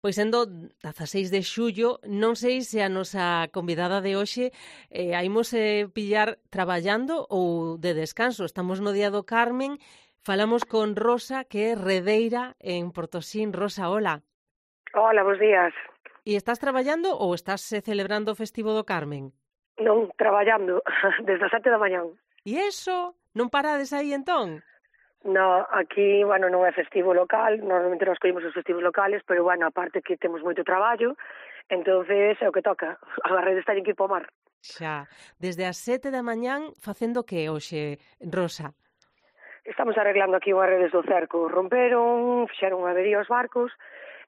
Pois sendo 16 de xullo, non sei se a nosa convidada de hoxe haimos pillar traballando ou de descanso. Estamos no Día do Carmen, falamos con Rosa, que é redeira en Portosín. Rosa, hola. Hola, bos días. E estás traballando ou estás celebrando o festivo do Carmen? Non, traballando desde as 7 da mañán. E eso? Non parades aí entón? No, aquí, bueno, non é festivo local, normalmente nos coimos os festivos locales, pero, bueno, aparte que temos moito traballo, entonces é o que toca. As redes teñen que ir para o mar. Xa, desde as 7 da mañán facendo que hoxe, Rosa? Estamos arreglando aquí unhas redes do cerco. Romperon, fixeron unha avería aos barcos,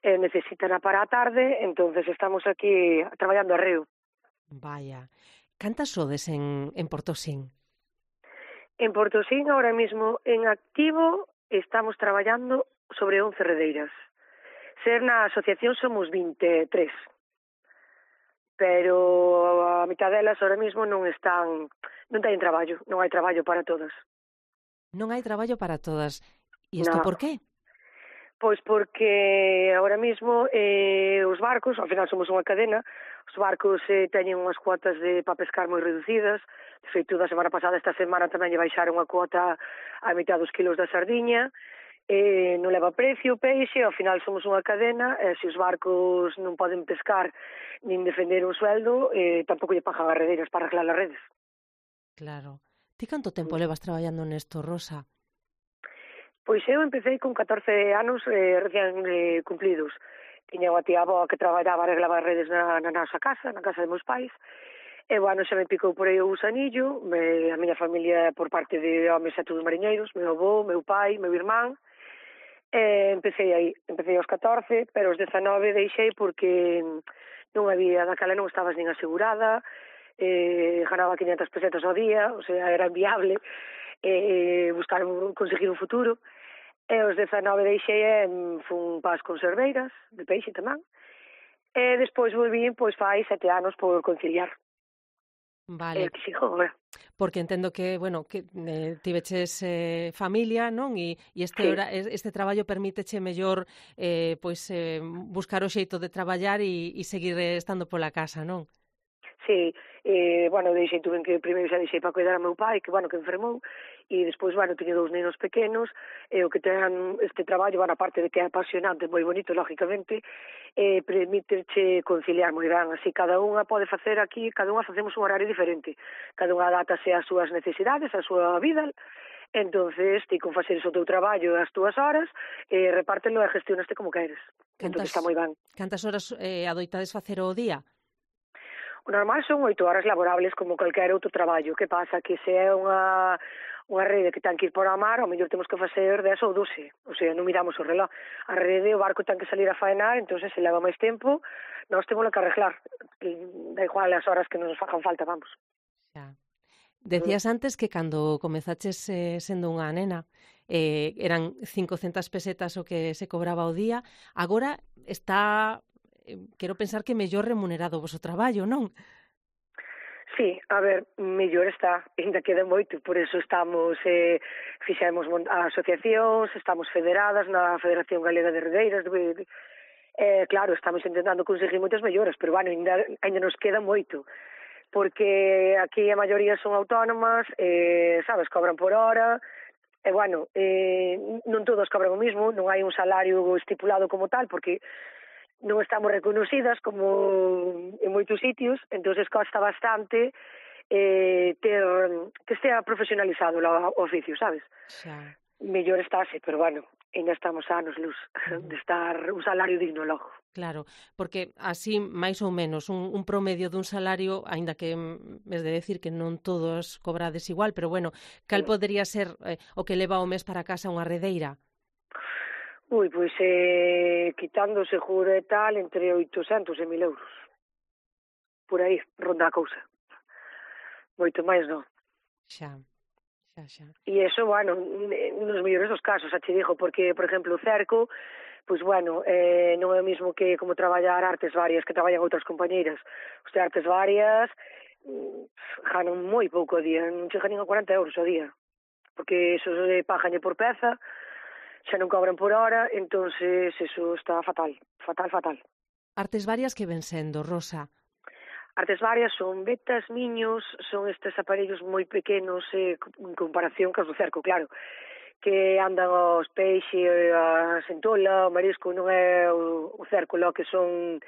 necesitan para a tarde, entonces estamos aquí traballando a reo. Vaya, cantas sodes en Portosín? En Portosín, ahora mismo, en activo, estamos traballando sobre 11 redeiras. Ser na asociación somos 23, pero a mitad delas ahora mismo non teñen traballo, non hai traballo para todas. Non hai traballo para todas. E isto No, por qué? pois porque ahora mismo os barcos, ao final somos unha cadena, os barcos teñen unhas cuotas para pescar moi reducidas. De feito, da semana pasada, esta semana tamén lle baixaron a cuota a mitad dos kilos da sardiña, non leva precio o peixe, ao final somos unha cadena, e se os barcos non poden pescar nin defender un sueldo, tampouco lle pagan as redeiras para arreglar as redes. Claro. Ti canto tempo levas traballando nesto, Rosa? Pois eu empecé con 14 anos recién cumplidos. Tiña unha tía avó que traballaba, arreglaba as redes na nosa casa, na casa de meus pais, e, bueno, xa me picou por aí o gusanillo. A miña familia por parte de homes é todos mariñeiros, meu avó, meu pai, meu irmán. Empecé aos 14, pero aos 19 deixei porque non había, daquela non estabas nin asegurada, ganaba 500 pesetas ao día, o sea, era inviable conseguir un futuro. E aos 19 deixei fun para as conserveiras, de peixe tamén, e despois volví, pois fai 7 anos por conciliar. E Vale, aquí sigo agora. porque entendo que, bueno, que tiveches familia, non? E Sí. este traballo permíteche mellor buscar o xeito de traballar e seguir estando pola casa, non? Sí, bueno, primeiro xa deixei para cuidar a meu pai, que, bueno, que enfermou, e despois, bueno, teño 2 nenos pequenos, e o que ten este traballo, bueno, aparte de que é apasionante, moi bonito, lógicamente, permíteche conciliar moi ben, así cada unha pode facer aquí, cada unha facemos un horario diferente, cada unha adaptase ás súas necesidades, á súa vida, entonces ti con faceres o teu traballo as túas horas, repártelo e gestionaste como queres, entonces está moi ben. Cantas horas adoitades facer o día? O normal son 8 horas laborables como calquer outro traballo. Que pasa? Que se é unha rede que ten que ir por a mar, ao mellor temos que facer 10 ou 12. O sea, non miramos o reloj. A rede, o barco ten que salir a faenar, entón se leva máis tempo, nós temos que arreglar. Da igual as horas que nos fagan falta, vamos. Xa. Decías antes que cando comezaches sendo unha nena eran 500 pesetas o que se cobraba ao día. Agora está, quero pensar que mellor remunerado o voso traballo, non? Sí, a ver, mellor está, ainda queda moito, por eso fixemos asociacións, estamos federadas na Federación Galega de Redeiras, claro, estamos intentando conseguir moitas melloras, pero, bueno, ainda nos queda moito, porque aquí a maioría son autónomas, sabes, cobran por hora, e, bueno, non todos cobran o mismo, non hai un salario estipulado como tal, porque non estamos reconocidas como en moitos sitios, entonces costa bastante ter que estea profesionalizado o oficio, sabes? Xa. Mellor estáse, pero, bueno, ainda estamos a anos luz de estar un salario digno logo. Claro, porque así, máis ou menos, un promedio dun salario, aínda que es de decir que non todos cobrades igual, pero, bueno, cal podería ser o que leva o mes para casa unha redeira? Ui, pois quitando o seguro e tal, entre 800 e 1000 euros. Por aí, ronda a cousa. Moito máis non. Xa, xa. E iso, bueno, nos mellores dos casos, xa te digo, porque, por exemplo, o cerco, pois, bueno, non é o mesmo que como traballar artes varias que traballan outras compañeiras. Os de artes varias ganan moi pouco ao día, non chegan nin a 40 euros ao día, porque eso paganlle por peza, xa non cobran por hora, entonces eso está fatal, fatal, fatal. Artes varias que ven sendo, Rosa? Artes varias son vetas, miños, son estes aparellos moi pequenos en comparación cos do cerco, claro, que andan os peixes, a sentola, o marisco, non é o cerco, lo que son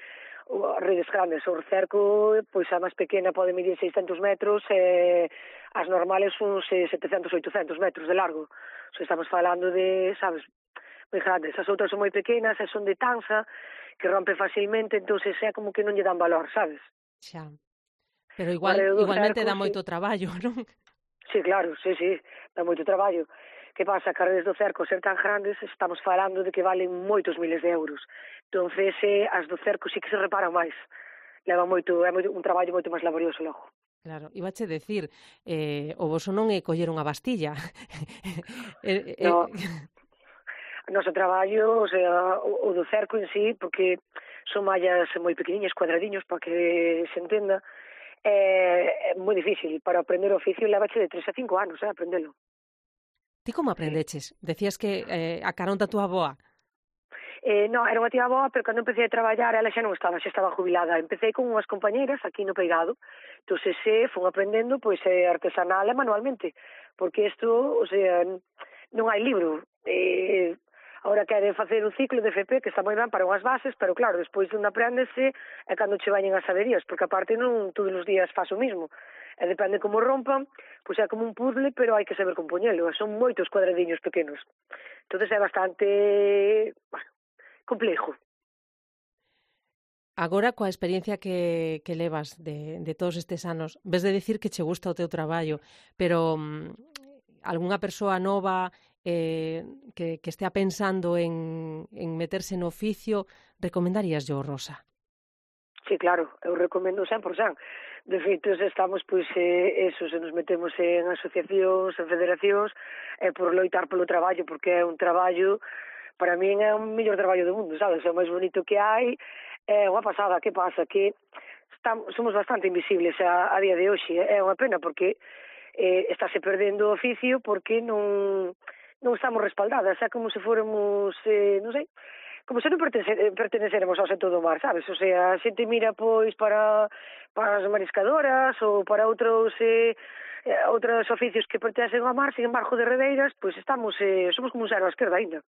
redes grandes. O cerco, pois a máis pequena pode medir 600 metros e as normales uns 700, 800 metros de largo. O sea, estamos falando de, sabes, moi grandes. As outras son moi pequenas e son de tanza, que rompe facilmente, entonces é como que non lle dan valor, sabes? Xa. Pero O arreo do igualmente cerco, dá sí. moito traballo, non? Sí, claro, sí, dá moito traballo. Que pasa? Que as redes do cerco ser tan grandes, estamos falando de que valen moitos miles de euros. Entonces, as do cerco sí que se reparan máis. Leva moito, é un traballo moito máis laborioso logo. Claro, ibache decir, o voso non é coller unha bastilla. No, o noso traballo, o sea, o do cerco en sí, porque son mallas moi pequeniñas, cuadradiños, para que se entenda, é moi difícil. Para aprender o oficio levache de 3 a 5 anos, aprendelo. Ti como Sí. aprendeches? Decías que a carón da túa avoa. No, era unha tía boa, pero cando empecé a traballar ela xa non estaba, xa estaba jubilada. Empecé con unhas compañeiras aquí no Peigado, entón fun aprendendo pois artesanal e manualmente, porque isto, o sea, non hai libro. Ahora quere facer un ciclo de FP que está moi ben para unhas bases, pero claro, despois non aprendese é cando che vañen as saberías, porque aparte non todos os días faz o mismo. E depende como rompan, pois é como un puzzle, pero hai que saber compoñelo, son moitos cuadradiños pequenos. Entón é bastante, bueno, complejo. Agora, coa experiencia que levas de todos estes anos, ves de dicir que che gusta o teu traballo, pero algunha persoa nova que estea pensando en meterse no oficio, recomendarías yo, Rosa? Sí, claro, eu recomendo 100%. De feito, estamos, pois, eso, se nos metemos en asociacións, en federacións, por loitar polo traballo, porque é un traballo, para min é o mellor traballo do mundo, sabes? É o máis bonito que hai, é unha pasada. Que pasa? Que somos bastante invisibles a día de hoxe, é unha pena, porque estáse perdendo o oficio porque non estamos respaldadas, é como se fóramos, non sei, como se non pertenecéramos ao sector do mar, sabes? O sea, a xente mira pois para as mariscadoras ou para outros oficios que pertencen ao mar, sin embargo, de redeiras, pois estamos, somos como un zero á esquerda ainda.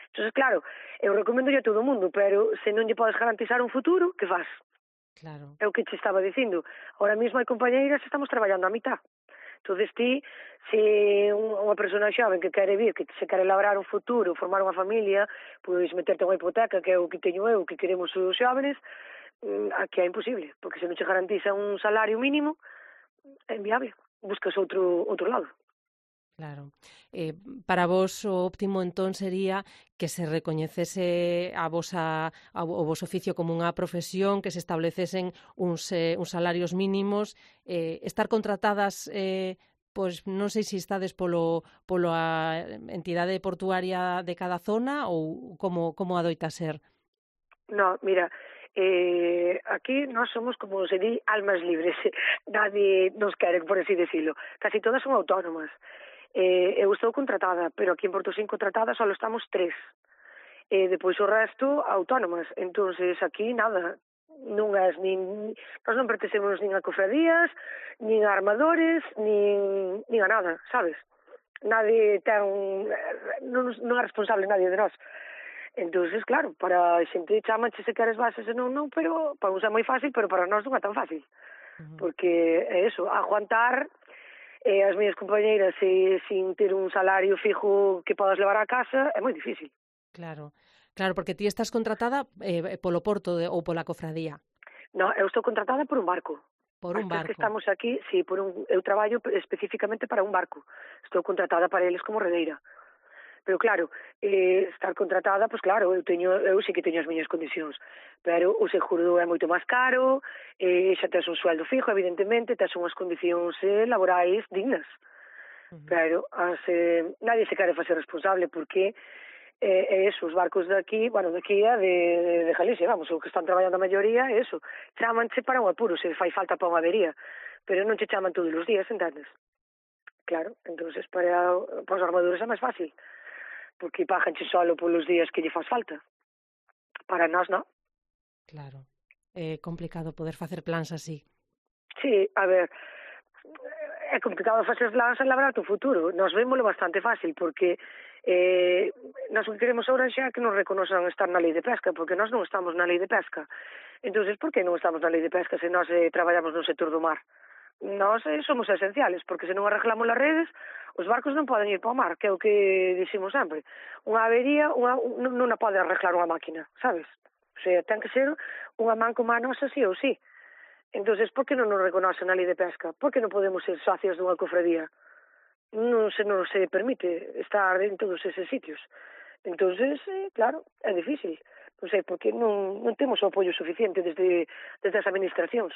Entón, claro, eu recomendo a todo o mundo, pero se non lle podes garantizar un futuro, que faz? Claro. É o que te estaba dicindo. Ahora mesmo hai compañeiras que estamos traballando a mitad. Entón, ti, se unha persona xoven que quere vir, que se quere labrar un futuro, formar unha familia, pois meterte unha hipoteca, que é o que teño eu, que queremos os xóvenes, aquí é imposible, porque se non che garantiza un salario mínimo, é inviable. Buscas outro lado. Claro. Para vos o óptimo entón sería que se recoñecese o vos oficio como unha profesión, que se establecesen uns salarios mínimos, estar contratadas, pois non sei se estades a entidade portuaria de cada zona ou como adoita ser? No, mira, aquí nós somos, como se di, almas libres. Nadie nos quere, por así decirlo. Casi todas son autónomas. Eu estou contratada, pero aquí en Porto Sin contratada só estamos 3. Depois o resto autónomas. Entonces aquí nada, nós non pertencemos nin a cofradías, nin a armadores, nin a nada, sabes? Nadie non é responsable nadie de nós. Entonces, claro, para a xente chamanche se queres bases e non, pero para uns é moi fácil, pero para nós non é tan fácil. Porque é eso, aguantar as miñas compañeiras sin ter un salario fijo que podas levar a casa é moi difícil. Claro, porque ti estás contratada polo porto ou pola cofradía. No, eu estou contratada por un barco. Por un barco. Que estamos aquí, sí, eu traballo especificamente para un barco. Estou contratada para eles como redeira. Pero claro, estar contratada, pois claro, eu sí que teño as miñas condicións, pero o seguro é moito máis caro, xa tes un sueldo fijo, evidentemente, tes unhas condicións laborais dignas. Pero nadie se quere facer responsable porque os barcos daqui, bueno, daqui é de Galicia, vamos, o que están traballando a maioría é eso, chamanche para un apuro, se fai falta para unha avería, pero non che chaman todos os días, entendes? Claro, entonces para os armadores é máis fácil. porque paganche solo polos días que lle faz falta. Para nós, non? Claro. É complicado poder facer plans así. Sí, a ver, é complicado facer plans e labrar o futuro. Nos vémoslo bastante fácil, porque nós o que queremos agora xa é que nos reconozan estar na lei de pesca, porque nós non estamos na lei de pesca. Entonces, por que non estamos na lei de pesca se nós traballamos no sector do mar? Nós somos esenciales, porque se non arreglamos as redes, os barcos non poden ir para o mar, que é o que dicimos sempre. Unha avería non a pode arreglar unha máquina, sabes? O sea, ten que ser unha man como a nosa, sí ou sí. Entonces, por que non nos reconocen na lei de pesca? Por que non podemos ser socios dunha cofradía? Non se permite estar en todos eses sitios. Entonces, claro, é difícil. Non sei, porque non temos o apoio suficiente desde as administracións.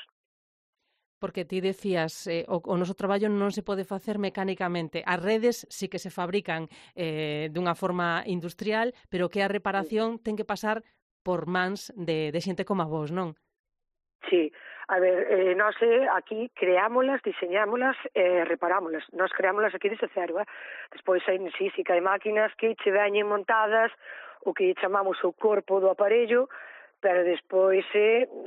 Porque ti decías, o noso traballo non se pode facer mecánicamente. As redes sí que se fabrican dunha forma industrial, pero que a reparación ten que pasar por mans de xente como a vos, non? Sí, a ver, nós aquí creámolas, diseñámolas e reparámolas. Nós creámolas aquí desde cero, Despois hai sí que hai máquinas que che veñen montadas o que chamamos o corpo do aparello, pero despois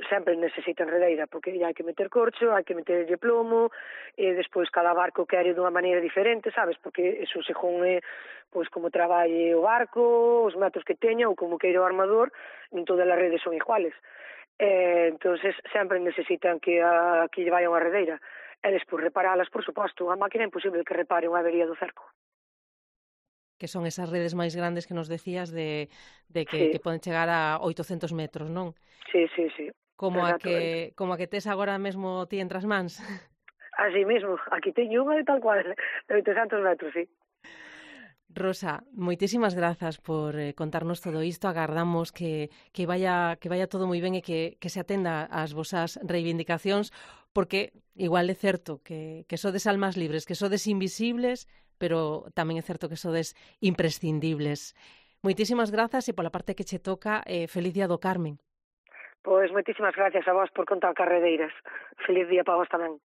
sempre necesitan redeira, porque hai que meter corcho, hai que meterlle plomo, e despois cada barco quere dunha maneira diferente, sabes? Porque eso según pois como traballe o barco, os metros que teña ou como queira o armador, non todas as redes son iguales. Entonces sempre necesitan que aquí lle vaya unha redeira. E despois reparalas, por suposto. A máquina é imposible que repare unha avería do cerco. Que son esas redes máis grandes que nos decías de Sí. que poden chegar a 800 metros, non? Sí. Como a que tes agora mesmo ti entre as mans. Así mesmo, aquí teño unha de tal cual, de 800 metros, sí. Rosa, moitísimas grazas por contarnos todo isto. Agardamos que vaya todo moi ben e que se atenda ás vosas reivindicacións, porque igual é certo que sodes almas libres, que sodes invisibles, pero tamén é certo que sodes imprescindibles. Moitísimas grazas e pola parte que che toca, feliz día do Carmen. Pois moitísimas gracias a vos por contar carredeiras. Feliz día para vos tamén.